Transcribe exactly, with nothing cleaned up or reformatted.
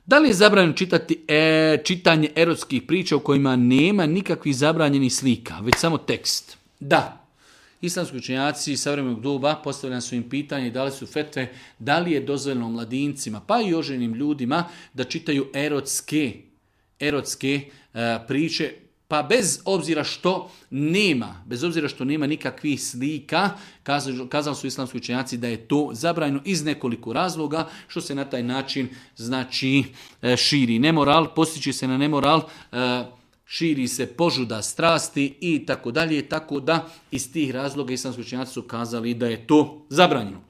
Da li je zabranjeno čitati e, čitanje erotskih priča u kojima nema nikakvih zabranjenih slika, već samo tekst? Da. Islamski učenjaci savremenog doba postavljali su im pitanje i dali su fetve da li je dozvoljeno mladincima pa i oženim ljudima da čitaju erotske, erotske e, priče, pa bez obzira što nema, bez obzira što nema nikakvih slika, kazali, kazali su islamski učenjaci da je to zabranjeno iz nekoliko razloga, što se na taj način znači širi nemoral, postići se na nemoral, širi se požuda strasti i tako dalje, tako da iz tih razloga islamski učenjaci su kazali da je to zabranjeno.